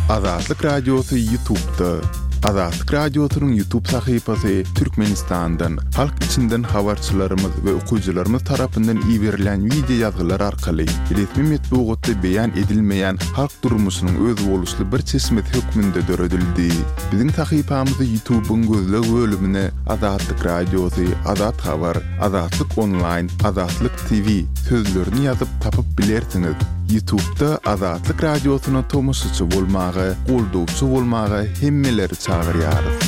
Azatlyk Radiosy Ýutubda. Azatlyk Radiosynyň Ýutub sahypasy Türkmenistandan, halk içinden habarçylarymyz we okyjylarymyz tarapyndan iberilýän wideo ýazgylar arkaly resmi metbugatda beýan edilmeýän halk durmuşynyň özboluşly bir çeşmesi hökmünde döredildi. Biziň sahypamyzy Ýutubyň gözleg bölümine Azatlyk Radiosy, Azat Habar, Azatlyk Onlaýn, Azatlyk TV sözlerini ýazyp tapyp bilersiňiz. Ýutubda Azatlyk Radiosyna tomaşaçy bolmaga, goldawçy bolmaga hemmeleri çagyrýarys.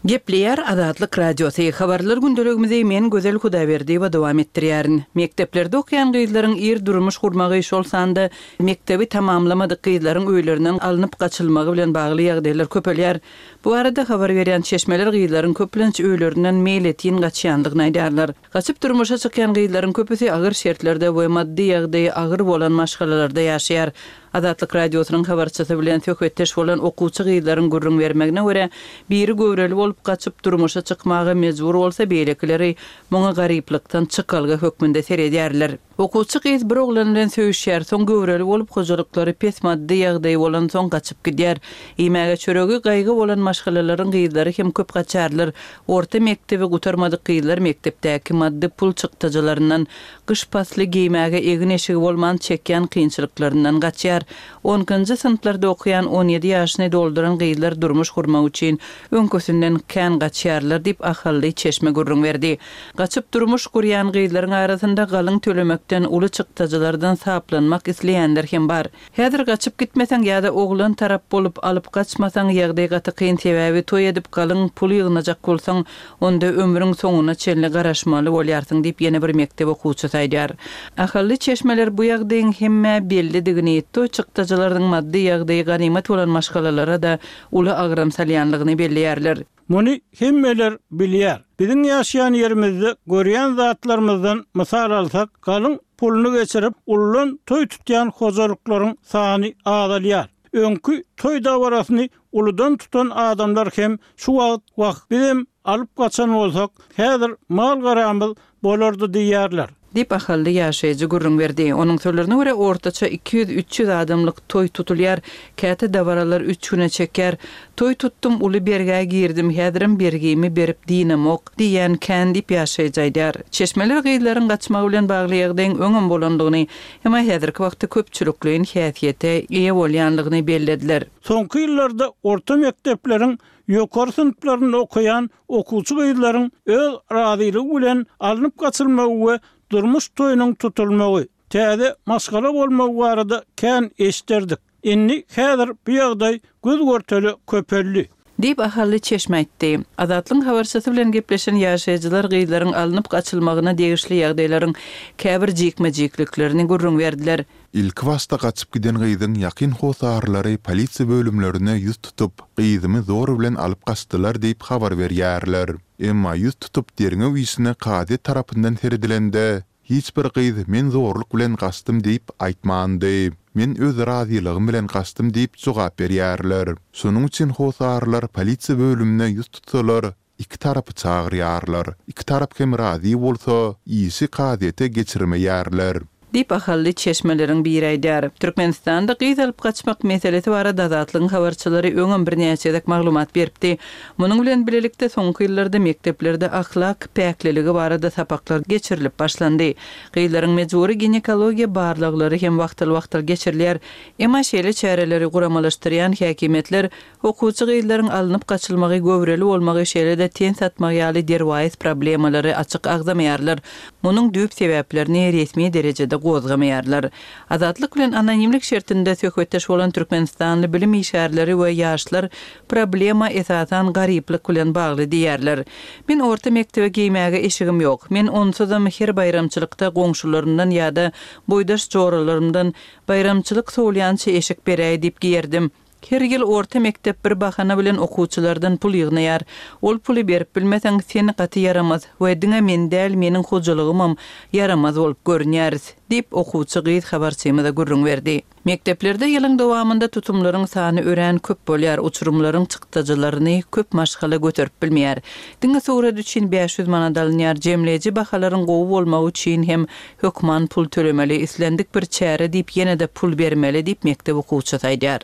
Gepleýär Azatlyk Radiosy, Habarlar gündeligimizi men Gözel Hudaýberdiýewa dowam etdirýärin. Mekdeplerde okaýan gyzlaryň ir durmuş gurmagy, şol sanda mekdebi tamamlamadyk gyzlaryň öýlerinden alnyp gaçylmagy bilen bagly ýagdaýlar köpelýär. Bu barada habar berýän çeşmeler gyzlaryň köplenç öýlerinden meýletin gaçýandygyny aýdýarlar. Gaçyp durmuşa çykýan gyzlaryň köpüsi agyr şertlerde we maddy ýagdaýy agyr bolan maşgalalarda ýaşaýar. Azatlyk Radiosynyň habarçysy bilen söhbetdeş bolan okuwçy gyzlaryň gürrüň bermegine görä, biri göwreli bolup gaçyp durmuşa çykmaga mejbur bolsa, beýlekileri muňa garyplykdan çykalga hökmünde seredýärler. Okuwçy gyz bir oglan bilen söýüşýär, soň göwreli bolup, hojalyklary pes maddy ýagdaýy bolansoň gaçyp gidýär. Iýmäge çöregi gaýgy bolan maşgalalaryň gyzlary hem köp gaçarlar. Orta mekdebi gutarmadyk gyzlar mekdepdäki maddy pul çykdajylaryndan, gyş pasly geýmäge egin-eşigi bolman çekýän kynçylyklaryndan gaçýar. Onkinji synplarda okaýan 17 ýaşyny dolduran gyzlar durmuş gurmak üçin öňküsinden kän gaçýarlar diýip, ahally çeşme gürrüň berdi. Gaçyp durmuş gurýan gyzlaryň arasynda galyň tölemekden, uly çykdajylardan saplanmak isleýänler hem bar. Häzir gaçyp gitmeseň ýa-da oglan tarap bolup alyp gaçmasaň ýagdaý gaty kyn sebäbi toý edip galyň pul ýygnajak bolsaň onda ömrüň soňuna çenli garaşmaly bolýarsyň diýip ýene bir mekdep okuwçysy aýdýar. Ahally çeşmeler bu ýagdaýyň hemmä bellidigini, toý çykdajylarynyň maddy ýagdaýy ganymat bolan maşgalalara-da uly agram salýanlygyny belleýärler. Muny hemmeler bilýär. Biziň ýaşaýan ýerimizde görýän zatlarymyzdan mysal alsak, galyň puluny geçirip, uludan toý tutýan hojalyklaryň sany azalýar. Öňki toý dabarasyny uludan tutan adamlar hem şu wagt Wah, bizem alyp gaçan bolsak, häzir mal-garamyz bolardy diýýärler. Diýip, ahally ýaşaýjy gürrüň berdi. Onuň sözlerine görä, ortaça 200-300 adamlyk toý tutulýar. Käte dabaralar üç güne çekýär. Toý tutdum, uly bergä girdim, häzirem bergimi berip dynamok diýýän kän diýip, ýaşaýjy aýdýar. Çeşmeler gyzlaryň gaçmagy bilen bagly ýagdaýyň öňem bolandygyny, emma häzirki wagtda köpçülikleýin häsiýete eýe bolýandygyny bellediler. Soňky ýyllarda orta mekdepleriň ýokary synplarynda okaýan okuwçy gyzlaryň öz razylygy bilen alnyp gaçylmagy we durmuş toýunyň tutulmagy, täze maşgala bolmagy barada kän eşderdik. Indi häzir bu ýagdaý göz-görtele köpeldi. Diýip, ahally çeşme aýtdy. Azatlygyň habarçysy bilen gepleşen ýaşaýjylar gyzlaryň alnyp gaçylmagyna degişli ýagdaýlaryň käbir jikme-jikliklerini gürrüň berdiler. Ilkibaşda gaçyp giden gyzyň ýakyn hossarlary polisiýa bölümlerine ýüz tutup, gyzymy zor bilen alyp gaçdylar diýip habar berýärler. Emma ýüz tutup derňew işine kazyýet tarapyndan seredilende, hiç bir gyz men zorluk bilen gaçdym diýip aýtmandy. Men öz razylygym bilen gaçdym diýip jogap berýärler. Şonuň üçin hossarlar polisiýa bölümine ýüz tutsalar, Iki tarapy çagyrýarlar. Iki tarap hem razy bolsa, işi kazyýete geçirmeýärler. Diýip, ahally çeşmeleriň biri aýdýar. Türkmenistanda gyz alyp gaçmak meselesi barada Azatlygyň habarçylary öňem birnäçe gezek maglumat beripdi. Munuň bilen bilelikde, soňky ýyllarda mekdeplerde ahlak päkliligi barada sapaklar geçirilip başlandy. Gyzlaryň mejbury ginekologiýa barlaglary hem wagtal-wagtal geçirilýär. Emma şeýle çäreleri guramalaşdyrýan häkimiýetler Okuwçy gyzlaryň alnyp gaçylmagy, göwreli bolmagy, şeýle-de ten satmagy ýaly derwaýys problemalary açyk agzamaýarlar. Munuň düýp sebäplerini resmi derejede gozgamaýarlar. Azatlyk bilen anonimlik şertinde söhbetdeş bolan türkmenistanly bilim işgärleri we ýaşlar problema esasan garyplyk bilen bagly diýýärler. Men orta mekdebe geýmäge eşigim ýok. Men onsuzam her baýramçylykda goňşularymdan ýa-da boýdaş joralarymdan baýramçylyk sowulýança eşik beräý diýip geýerdim. Her ýyl orta mekdep bir bahana bilen okuwçylardan pul ýygnaýar. Ol puly berip bilmeseň, sen gaty ýaramaz we diňe men däl, meniň hojalygymam ýaramaz bolup görünýäris, diýip, okuwçy gyz habarçymyza gürrüň berdi. Mekdeplerde ýylyň dowamynda tutumlaryň sany örän köp bolýar, uçurymlaryň çykdajylaryny köp maşgala göterip bilmeýär. Diňe surat üçin 500 manat alynýar, jemleýji bahalaryň gowy bolmagy üçin hem Hökman pul tölemeli, islendik bir çäre diýip ýene-de pul bermeli diýip mekdep okuwçysy aýdýar.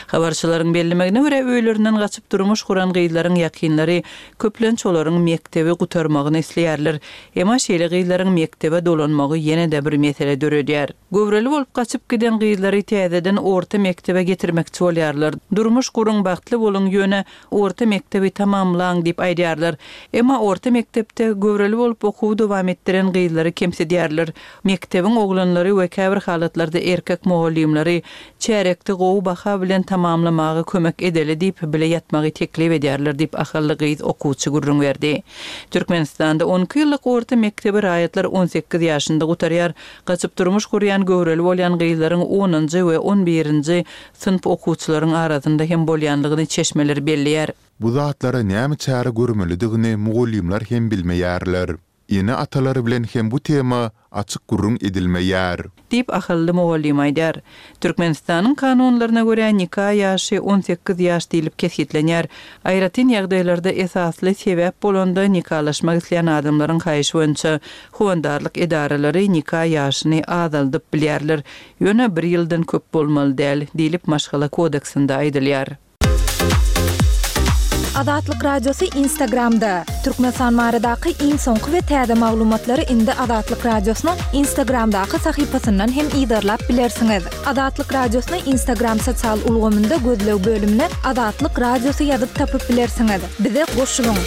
Habarçylaryň bellemegine görä, öýlerinden gaçyp durmuş guran gyzlaryň ýakynlary köplenç olaryň mekdebi gutarmagyny isleýärler. Emma şeýle gyzlaryň mekdebe dolanmagy ýene-de bir mesele döredýär. Göwreli bolup gaçyp giden gyzlary täzeden orta mekdebe getirmekçi bolýarlar. Durmuş guruň, bagtly boluň, ýöne Orta mekdebi tamamlaň diýip aýdýarlar. Emma orta mekdepde göwreli bolup okuwy dowam etdiren gyzlary kemsidýärler. Mekdebiň oglanlary we käbir halatlarda erkek mugallymlary çärýekde gowy baha bilen tamamlamaga kömek edeli diýip bile ýatmagy teklip edýärler diýip ahally gyz okuwçy gürrüň berdi. Türkmenistanda on iki ýyllyk orta mekdebi raýatlar on sekiz ýaşynda gutarýar. Gaçyp durmuş gurýan göwreli bolýan gyzlaryň onunjy we on birinji synp okuwçylaryň arasynda hem bolýanlygyny çeşmeler belleýär. Bu zatlara näme çäre görmelidigini mugallymlar hem bilmeýärler. Ene-atalar bilen hem bu tema açyk gürrüň edilmeýär. Diýip, ahally mugallym aýdýar. Türkmenistanyň kanunlaryna görä, nika ýaşy 18 ýaş diýlip kesgitlenýär. Aýratyn ýagdaýlarda esasly sebäp bolanda nikalaşmak isleýän adamlaryň haýyşy boýunça howandarlyk edaralary nika ýaşyny azaldyp bilýärler. Ýöne bir ýyldan köp bolmaly däl, diýlip Maşgala kodeksinde aýdylýar. Azatlyk Radiosy Instagramda, Türkmenistan baradaky iň soňky we täze maglumatlary indi Azatlyk Radiosynyň Instagramdaky sahypasyndan hem yzarlap bilersiňiz. Azatlyk Radiosyny Instagram sosial ulgamynda gözleg bölümine Azatlyk Radiosy ýazyp tapyp bilersiňiz. Bize goşulyň!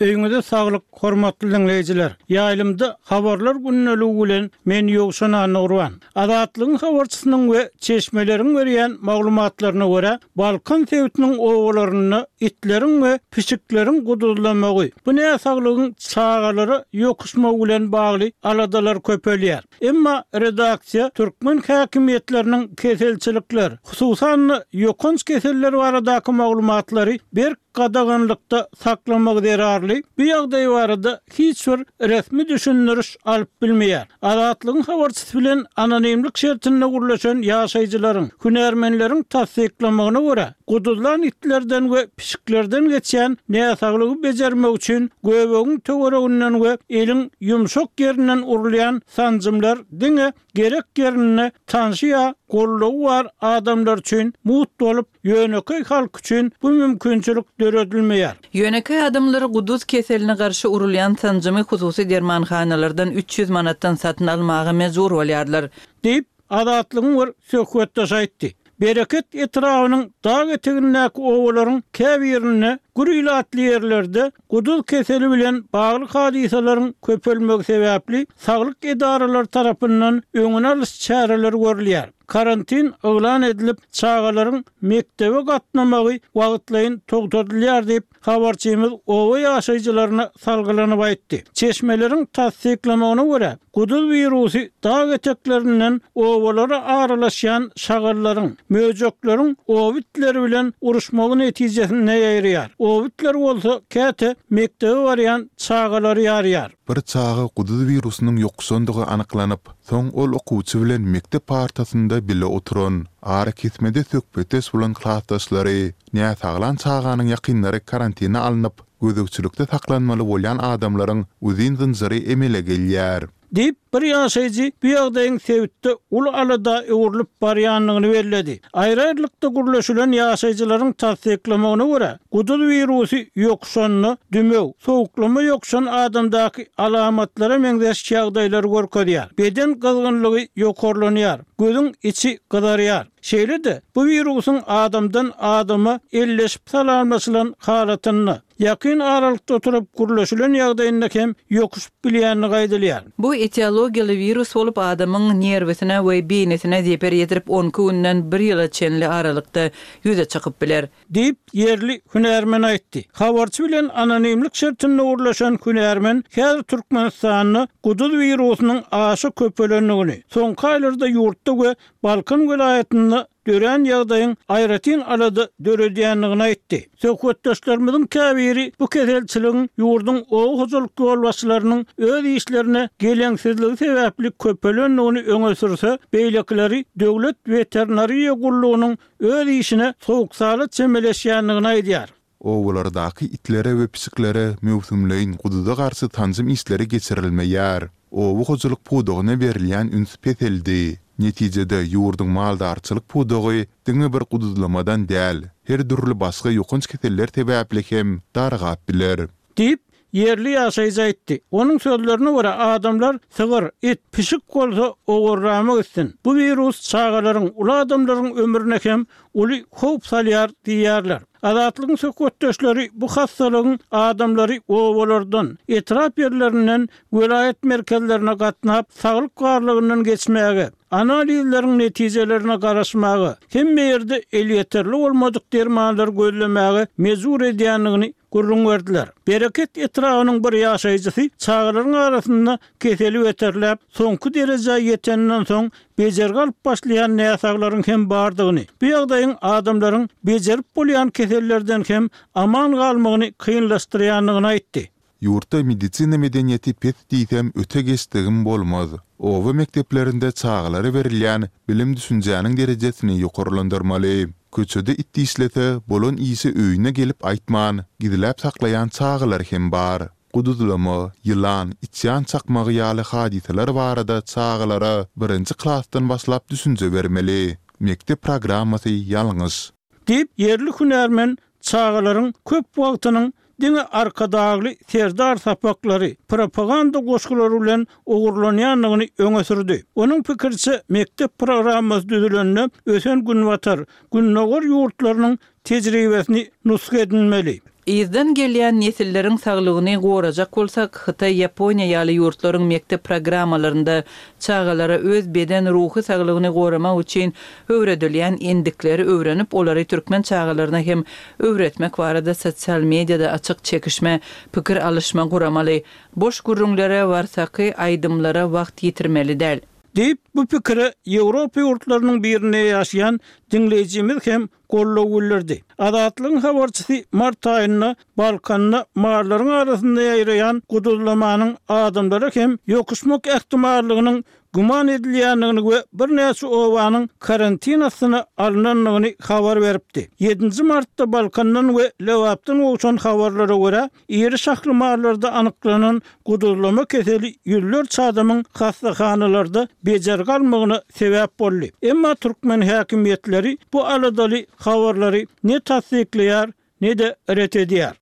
Öýüňize saglyk, hormatly diňleýjiler! Ýaýlymda Habarlar gündeligi bilen men Ýowşan Annagurban. Azatlygyň habarçysynyň we çeşmeleriň berýän maglumatlaryna görä, Balkan sebitiniň obalarynda itleriň we pişikleriň guduzlamagy, bu näsaglygyň çagalara ýokuşmagy bilen bagly aladalar köpelýär. Emma redaksiýa türkmen häkimiýetleriniň keselçilikler, hususan-da ýokanç keseller baradaky maglumatlary berk gadaganlykda saklamagy zerarly bu ýagdaý barada hiç bir resmi düşündiriş alyp bilmeýär. Azatlygyň habarçysy bilen anonimlik şertinde gürleşen ýaşaýjylaryň, hünärmenleriň tassyklamagyna görä, guduzlan itlerden we pişiklerden geçýän näsaglygy bejermek üçin göbegiň töwereginden we eliň ýumşak ýerinden urulýan sanjymlar diňe gerek ýerinde tanşy ýa goldawy bar adamlar üçin mugt bolup, ýönekeý halk üçin bu mümkinçilik döredilmeýär. Ýönekeý adamlar guduz keseline garşy urulýan sanjymy hususy dermanhanalardan 300 manatdan satyn almaga mejbur bolýarlar. Diýip, Azatlygyň bir söhbetdeşi aýtdy. Bereket etrabynyň dag etegindäki obalaryň käbirinde gür ilatly ýerlerde guduz keseli bilen bagly hadysalaryň köpelmegi sebäpli saglyk edaralary tarapyndan öňüni alyş çäreleri görülýär. Karantin yglan edilip, çagalaryň mekdebe gatnamagy wagtlaýyn togtadylýar diýip, habarçymyz oba ýaşaýjylaryna salgylanyp aýtdy. Çeşmeleriň tassyklamagyna görä, guduz wirusy dag eteklerinden obalara aralaşýan şagallaryň, möjekleriň oba itleri bilen uruşmagy netijesinde ýaýraýar. Oba itleri bolsa käte mekdebe barýan çagalary ýarýar. Bir çaga guduz wirusynyň ýokuşandygy anyklanyp, soň ol okuwçy bilen mekdep partasynda bile oturan, arakesmede söhbetdeş bolan klasdaşlary, Näsaglan çaganyň ýakynlary karantina alnyp, gözegçilikde saklanmaly bolýan adamlaryň uzyn zynjyry emele gelýär. Diýip, bir ýaşaýjy bu ýagdaýyň sebitde uly alada öwrülip barýandygyny belledi. Aýry-aýrylykda gürleşilen ýaşaýjylaryň tassyklamagyna görä, guduz wirusy ýokuşanda dümew, sowuklama ýokuşan adamdaky alamatlara meňzeş ýagdaýlary görkezýär. Beden gyzgynlygy ýokarlanýar, gözüň içi gyzarýar. Şeýle-de, bu wirusyň adamdan adama elleşip salamlaşylan halatynda, ýakyn aralykda oturyp gürleşilen ýagdaýynda hem ýokuşyp bilýändigi aýdylýar. Bu etiologiýaly wirus bolup, adamyň nerwisine we beýnisine zeper ýetirip onki günden bir ýyla çenli aralykda ýüze çykyp biler. Diýip, ýerli hünärmen aýtdy. Habarçy bilen anonimlik şertinde gürleşen hünärmen häzir Türkmenistanda guduz wirusynyň aşa köpelendigini, soňky aýlarda ýurtda we Balkan welaýatynda dörän ýagdaýyň aýratyn alada döredýändigini aýtdy. Söhbetdeşlerimiziň käbiri bu keselçiligiň ýurduň oba hojalyk ýolbaşçylarynyň öz işlerine geleňsizligi sebäpli köpelendigini öňe sürse, beýlekileri döwlet weterinariýa gullugynyň öz işine sowuk-sala çemeleşýändigini aýdýar. Obalardaky itlere we pişiklere möwsümleýin guduza garşy sanjym işleri geçirilmeýär. Oba hojalyk pudagyna berilýän üns peseldi. Netijede, ýurduň maldarçylyk pudagy diňe bir guduzlamadan däl, her dürli başga ýokanç keseller sebäpli hem dargap biler. Diýip, ýerli ýaşaýjy aýtdy. Onuň sözlerine görä, adamlar sygyr, it, pişik bolsa owarrama gitsin. Bu wirus çagalaryň, uly adamlaryň ömrüne hem uly howp salýar diýýärler. Azatlygyň söhbetdeşleri bu hassalygyň adamlary obalardan, etrap ýerlerinden welaýat merkezlerine gatnap, saglyk barlagyndan geçmäge, analizleriň netijelerine garaşmaga, hemme ýerde elýeterli bolmadyk dermanlary gözlemäge mejbur edýändigini gürrüň berdiler. Bereket etrabynyň bir ýaşaýjysy çagalaryň arasynda keseli beterläp, soňky derejä ýeteninden soň bejergi alyp başlaýan näsaglaryň hem bardygyny, bu ýagdaýyň adamlaryň bejerip bolýan kesellerden hem aman galmagyny kynlaşdyrýandygyny aýtdy. Ýurtda medisina medeniýeti pes diýsem öte geçdigim bolmaz. Oba mekdeplerinde çagalara berilýän bilim-düşünjäniň derejesini ýokarlandyrmaly. Köçede it dişlese, bolan işi öýüne gelip aýtman, gizläp saklaýan çagalar hem bar. Guduzlama, ýylan, içýan çakmagy ýaly hadysalar barada çagalara birinji klasdan başlap düşünje bermeli. Mekdep programmasy ýalňyş. Diýip, ýerli hünärmen çagalaryň köp wagtynyň diňe Arkadagly Serdar sapaklary, propaganda goşgulary bilen ogurlanýandygyny öňe sürdi. Onuň pikiriçe, mekdep programmasy düzülende ösen Günbatar, Gündogar ýurtlarynyň tejribesini nusga edinmeli. Yzdan gelýän nesilleriň saglygyny gorajak bolsak, Hytaý, Ýaponiýa ýaly ýurtlaryň mekdep programmalarynda çagalara öz beden, ruhy saglygyny goramak üçin öwredilýän endikleri öwrenip, olary türkmen çagalaryna hem öwretmek barada sosial mediada açyk çekişme, pikir alyşma guramaly. Boş gürrüňlere, warsaky aýdymlara wagt ýitirmeli däl. Diýip, bu pikire Ýewropa ýurtlarynyň birinde ýaşaýan diňleýjimiz hem goldaw bildirdi. Azatlygyň habarçysy mart aýynda Balkanda mallaryň arasynda ýaýraýan guduzlamanyň adamlara hem ýokuşmak ähtimallygynyň güman edilýändigini we birnäçe obanyň karantin astyna alnandygyny habar beripdi. Ýedinji martda Balkandan we Lebapdan gowşan habarlara görä, Iri şahly mallarda anyklanan guduzlama keseli ýüzlerçe adamyň hassahanalarda bejergi almagyna sebäp boldy. Emma türkmen häkimiýetleri bu aladaly habarlary ne tassyklaýar, ne-de ret edýär.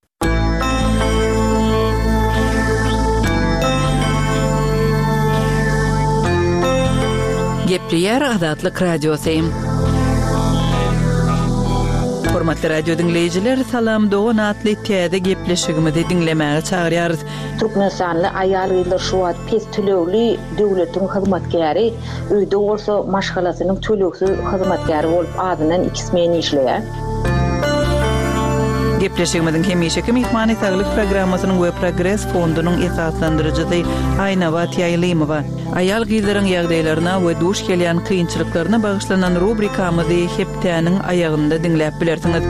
Gepleýär Azatlyk Radiosy. Hormatly radio diňleýjiler, Salam dogan atly täze gepleşigimizi diňlemäge çagyrýarys. Türkmenistanly aýal-gyzlar şu wagt pes tölegli döwletiň hyzmatkäri, öýde bolsa maşgalasynyň tölegsiz hyzmatkäri bolup azyndan iki smen işleýär. Gepleşigimiziň hemişeki myhmany Saglyk programmasynyň we Progres fondunyň esaslandyryjysy Aýnabat Ýaýlymowa. Aýal-gyzlaryň ýagdaýlaryna we duş gelýän kynçylyklaryna bagyşlanan rubrikamyzy hepdäniň aýagynda diňläp bilersiňiz.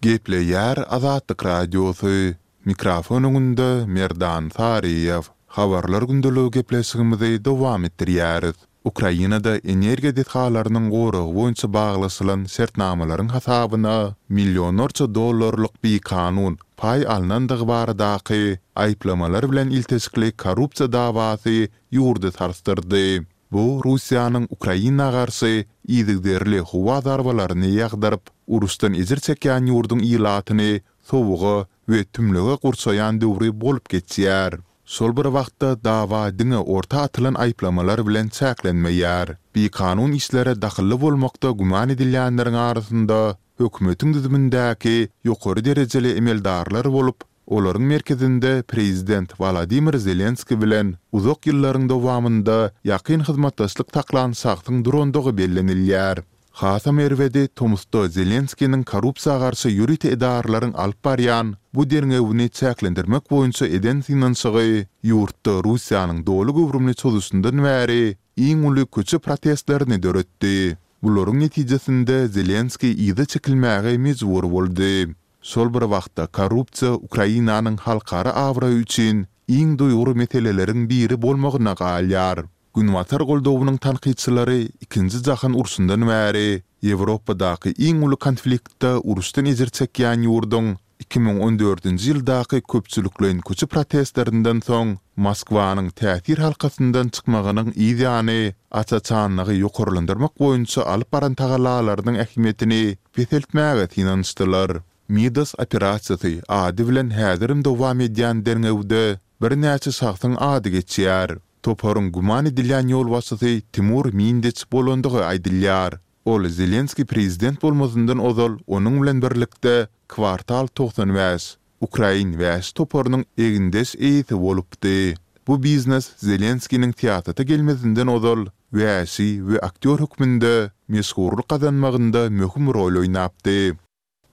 Gepleýär Azatlyk Radiosy, Mikrofon öňünde Merdan Saryýew. Habarlar gündeligi gepleşigimizi dowam etdirýäris. Ukrainada energiýa desgalarynyň goragy boýunça baglaşylan şertnamalaryň hasabyna millionlarça dollarlyk bikanun paý alnandygy baradaky aýyplamalar bilen ilteşikli korrupsiýa dawasy ýurdy sarsdyrdy. Bu Russiýanyň Ukraina garşy yzygiderli howa zarbalaryny ýagdyryp, uruşdan ejir çekýän ýurduň ilatyny sowuga we tümlüge gurşaýan döwri bolup geçýär. Şol bir wagtda dawa diňe orta atylan aýyplamalar bilen çäklenmeýär. Bikanun işlere dahylly bolmakda güman edilýänleriň arasynda hökümetiň düzümindäki ýokary derejeli emeldarlar bolup, olaryň merkezinde prezident Wolodymyr Zelenskiý bilen uzak ýyllaryň dowamynda ýakyn hyzmatdaşlyk saklan şahsyň durandygy bellenilýär. Hasam erbedi, tomusda Zelenskiniň korrupsiýa garşy ýörite edaralaryň alyp barýan bu derňewini çäklendirmek boýunça eden synanyşygy ýurtda Russiýanyň doly göwrümli çozuşyndan bäri iň uly köçe protestlerini döretdi. Bularyň netijesinde Zelenskiý yza çekilmäge mejbur boldy. Şol bir wagtda korrupsiýa Ukrainanyň halkara abraýy üçin iň duýgur meseleleriň biri bolmagyna galýar. Günbatar goldawynyň tankytçylary Ikinji jahan urşundan bäri Ýewropadaky iň uly konfliktde uruşdan ejir çekýän ýurduň 2014-nji ýyldaky köpçülikleýin köçe protestlerinden soň Moskwanyň täsir halkasyndan çykmagynyň yz ýany aç-açanlygy ýokarlandyrmak boýunça alyp baran tagallalarynyň ähmiýetini peseltmäge synanyşdylar. Midas operasiýasy ady bilen häzirem dowam edýän derňewde birnäçe şahsyň ady geçýär. Toparyň güman edilýän ýolbaşçysy Timur Mindiç bolandygy aýdylýar. Ol Zelenskiý prezident bolmazyndan ozal onuň bilen birlikde Kwartal 95, ukrain wäşi toparynyň egindeş eýesi bolupdy. Bu biznes Zelenskiniň syýasata gelmezinden ozal wäşi we aktýor hökmünde meşhurlyk gazanmagynda möhüm rol oýnapdy.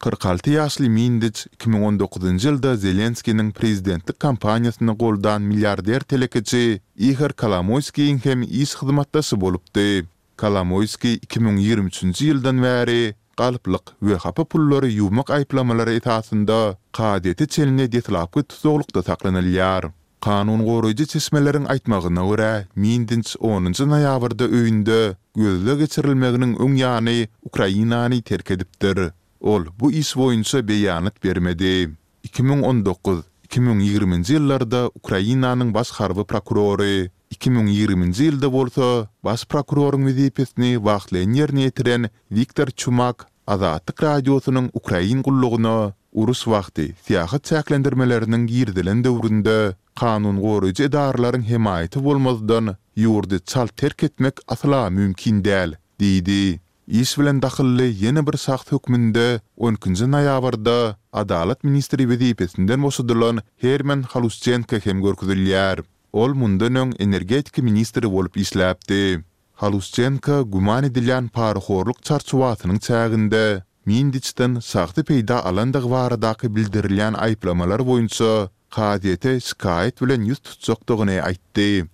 46 ýaşly Mindiç 2019-njy ýylda Zelenskiniň prezidentlik kampaniýasyny goldan milliarder telekeçi Ihor Kolomoýskiýiň hem iş hyzmatdaşy bolupdy. Kolomoýskiý 2023-nji ýyldan bäri galplyk we hapa pullary ýuwmak aýyplamalary esasynda kazyýete çenli deslapky tussaglykda saklanylýar. Kanun goraýjy çeşmeleriň aýtmagyna görä, Mindinç onunjy noýabrda öýünde gözleg geçirilmeginiň öň ýany Ukrainany terk edipdir. Ol bu iş boýunça beýanat bermedi. 2019, 2020-nji ýyllarda Ukrainanyň baş harby prokurory, 2020-nji ýylda bolsa baş prokuroryň wezipesini wagtlaýyn ýerine ýetiren Wiktor Çumak Azatlyk Radiosynyň Ukrain gullugyna uruş wagty syýahat çäklendirmeleriniň girizilen döwründe kanun goraýjy edaralaryň hemaýaty bolmazdan ýurdy çalt terk etmek asla mümkin däl diýdi. Iş bilen dahylly ýene bir şahs hökmünde on ikinji noýabrda adalat ministri wezipesinden boşadylan Herman Halusçenko hem görkezilýär. Ol mundan öň energetika ministri bolup işläpdi. Halusçenko güman edilýän parahorluk çarçuwasynyň çäginde Mindiçden şahsy peýda alandygy baradaky bildirilýän aýyplamalar boýunça kazyýete şikaýat bilen ýüz tutjakdygyny aýtdy.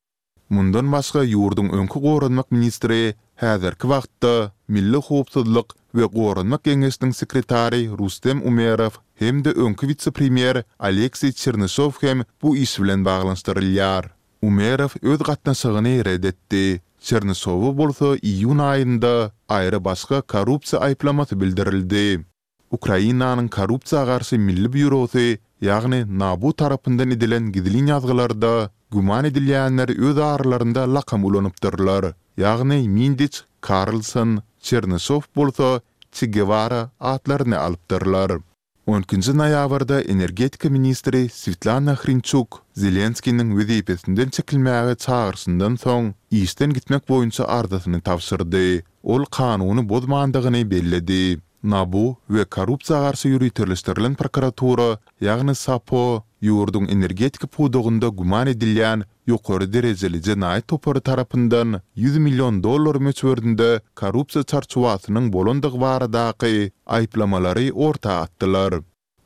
Mundan başga ýurduň öňki goranmak ministri, häzirki wagtda Milli howpsuzlyk we goranmak geňeşiniň sekretary Rustem Umerow hem-de öňki wise-premýer Alekseý Çernyşow hem bu iş bilen baglanyşdyrylýar. Umerow öz gatnaşygyny ret etdi. Çernyşowa bolsa iýun aýynda aýry-başga korrupsiýa aýyplamasy bildirildi. Ukrainanyň Korrupsiýa garşy milli býurosy, ýagny NABU tarapyndan edilen gizlin ýazgylarda güman edilýänler öz aralarynda lakam ulanypdyrlar, ýagny Mindiç, Karlson, Çernyşow bolsa Çe Gewara atlaryny alypdyrlar. On ikinji noýabrda energetika ministri Swetlana Hrinçuk Zelenskiniň wezipesinden çekilmäge çagyryşyndan soň, işden gitmek boýunça arzasyny tabşyrdy. Ol kanuny bozmandygyny belledi. NABU we korrupsiýa garşy ýöriteleşdirilen prokuratura, ýagny SAPO, ýurduň energetika pudagynda güman edilýän ýokary derejeli jenaýat topary tarapyndan ýüz million dollar möçberinde korrupsiýa çarçuwasynyň bolandygy baradaky aýyplamalary orta atdylar.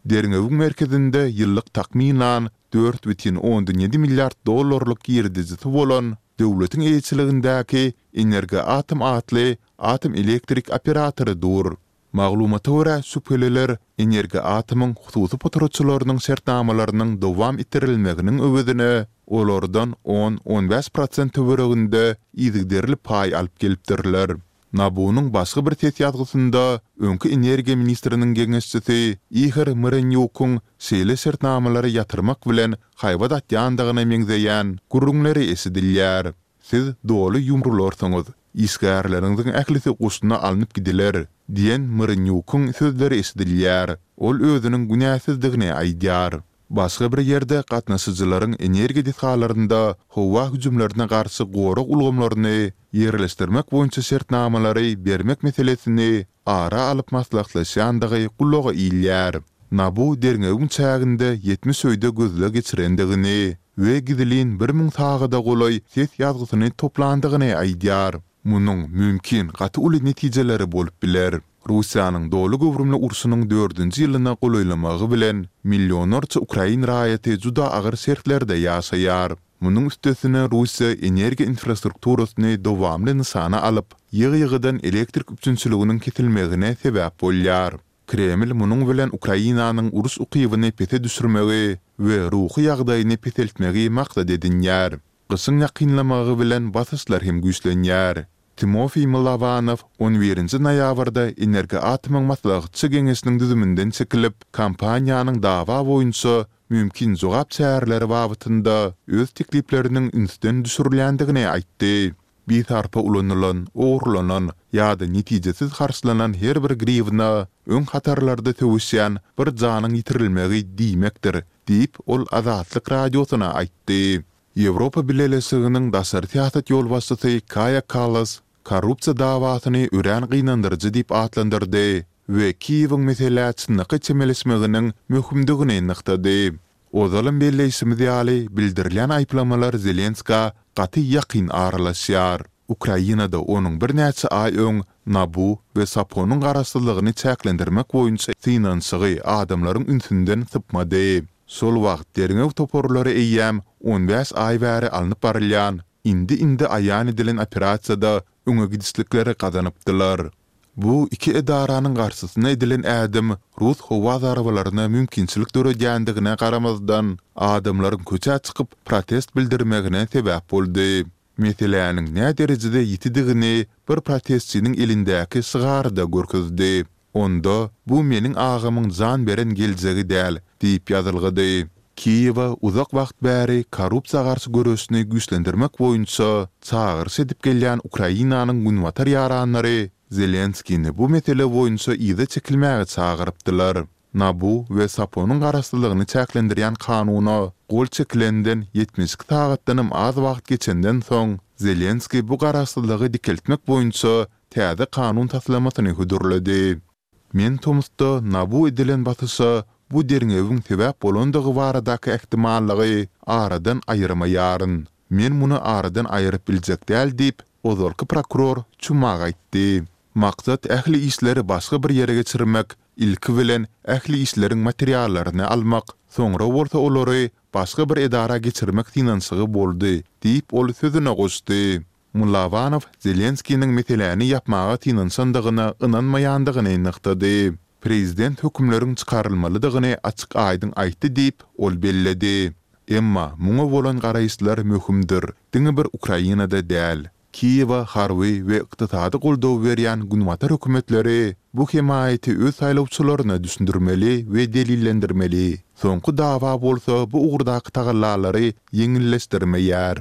Derňewiň merkezinde ýyllyk takmynan dört bütin ondan ýedi milliard dollarlyk girdejisi bolan döwletiň eýeçiligindäki Energoatom atly atom elektrik operatory dur. Maglumata görä, şübheliler Energoatomyň hususy potratçylarynyň şertnamalarynyň dowam etdirilmeginiň öwezine olardan on, on bäş prosent töwereginde yzygiderli paý alyp gelipdirler. NABU-nyň başga bir ses ýazgysynda öňki energiýa ministriniň geňeşçisi Ihor Myrenýukyň şeýle şertnamalary ýatyrmak bilen haýbat atýandygyna meňzeýän gürrüňleri eşidilýär. Siz doly ýumrularsyňyz, işgärleriňiziň ählisi goşuna alnyp gidiler, diýen Myrenýukyň sözleri eşidilýär. Ol özüniň günäsizdigini aýdýar. Başga bir ýerde gatnaşyjylaryň energiýa desgalarynda howa hüjümlerine garşy gorag ulgamlaryny ýerleşdirmek boýunça şertnamalary bermek meselesini ara alyp maslahatlaşýandygy gulaga ilýär. NABU derňewiň çäginde 70 öýde gözleg geçirendigini we gizlin 1000 sagada golaý ses ýazgysyny toplandygyny aýdýar. Munuň, mümkin, gaty uly netijeleri bolup biler. Russiýanyň doly göwrümli urşunyň dördünji ýylyna golaýlamagy bilen, millionlarça ukrain raýaty juda agyr şertlerde ýaşaýar. Munuň üstesine Russiýa energiýa infrastrukturasyny dowamly nyşana alyp, ýygy-ýygydan elektrik üpjünçiliginiň kesilmegine sebäp bolýar. Kreml munuň bilen Ukrainanyň uruş ukybyny pese düşürmegi we ruhy ýagdaýyny peseltmegi maksat edinýär. Gyşyň ýakynlamagy bilen basyşlar hem güýçlenýär. Timofiý Mylowanow on birinji noýabrda Energoatomyň maslahatçy geňeşiniň düzüminden çekilip, kompaniýanyň dawa boýunça mümkin jogap çäreleri babatynda öz teklipleriniň ünsden düşürilýändigini aýtdy. Bisarpa ulanylan, ogurlanan ýa-da netijesiz harçlanan her bir griwna öň hatarlarda söweşýän bir janyň ýitirilmegi diýmekdir, diýip, ol Azatlyk Radiosyna aýtdy. Ýewropa Bileleşiginiň daşary syýasat ýolbaşçysy Kaýa Kallas korrupsiýa dawasyny örän gynandyryjy diýip atlandyrdy we Kiýewiň meselä çynlakaý çemeleşmeginiň möhümdigini nygtady. Ozalam belleýşimiz ýaly, bildirilýän aýyplamalar Zelenskä gaty ýakyn aralaşýar. Ukrainada onuň birnäçe aý öň NABU we SAPO-nyň garaşsyzlygyny çäklendirmek boýunça synanyşygy adamlaryň ünsünden sypmady. Şol wagt derňew toparlary eýýäm on bäş aý bäri alnyp barylýan, indi-indi aýan edilen operasiýada öňe gidişlikleri gazanypdylar. Bu iki edaranyň garşysyna edilen ädim rus howa zarbalaryna mümkinçilik döredýändigine garamazdan, adamlaryň köçä çykyp protest bildirmegine sebäp boldy. Meseläniň näderejede ýitidigini bir protestçiniň elindäki şygary-da görkezdi. Onda, Bu meniň agamyň jan beren geljegi däl diýip ýazylgydy. Kiýewe uzak wagt bäri korrupsiýa garşy göreşini güýçlendirmek boýunça çagyryş edip gelýän Ukrainanyň günbatar ýaranlary Zelenskini bu mesele boýunça yza çekilmäge çagyrypdylar. NABU we SAPO-nyň garaşsyzlygyny çäklendirýän kanuna gol çekilenden 72 sagatdanam az wagt geçenden soň, Zelenskiý bu garaşsyzlygy dikeltmek boýunça täze kanun taslamasyny hödürledi. Men tomusda NABU edilen basyşa bu derňewiň sebäp bolandygy baradaky ähtimallygy aradan aýyrmaýaryn. Men muny aradan aýyryp biljek däl diýip, ozalky prokuror Çumak aýtdy. Maksat ähli işleri başga bir ýere geçirmek, ilki bilen ähli işleriň materiallaryny almak, soňra bolsa olary başga bir edara geçirmek synanyşygy boldy diýip, ol sözüne goşdy. Mylawanow Zelenskiniň meseläni ýapmaga synanyşandygyna ynanmaýandygyny nygtady. Prezident hökümleriň çykarylmalydygyny açyk-aýdyň aýtdy diýip, ol belledi. Emma muňa bolan garaýyşlar möhümdir, diňe bir Ukrainada däl. Kiýewe harby we ykdysady goldaw berýän günbatar hökümetleri bu hemaýaty öz saýlawçylaryna düşündirmeli we delillendirmeli. Soňky dawa bolsa bu ugurdaky tagallalary ýeňilleşdirmeýär.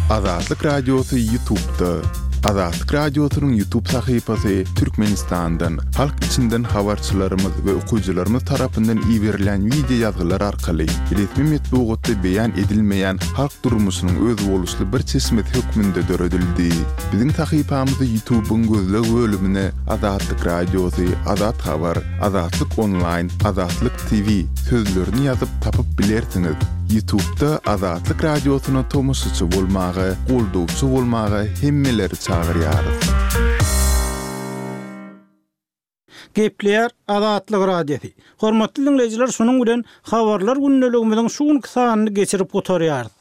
Azatlyk Radiosy YouTube'da. Azatlyk Radiosynyň YouTube sahypasy Türkmenistandan, halk içinden habarçylarymyz we okyjylarymyz tarapyndan iberilýän wideo ýazgylar arkaly resmi metbugatda beýan edilmeýän halk durmuşynyň özboluşly bir çeşmesi hökmünde döredildi. Biziň sahypamyzy YouTube'yň gözleg bölümine Azatlyk Radiosy, Azat Habar, Azatlyk Onlaýn, Azatlyk TV sözlerini ýazyp tapyp bilersiňiz. Ýutubda Azatlyk Radiosyna tomaşaçy bolmaga, goldawçy bolmaga hemmeleri çagyrýarys. Gepleýär Azatlyk Radiosy. Hormatly diňleýjiler şunuň bilen Habarlar gündeligimiziň şu günki sanyny geçirip gutarýarys.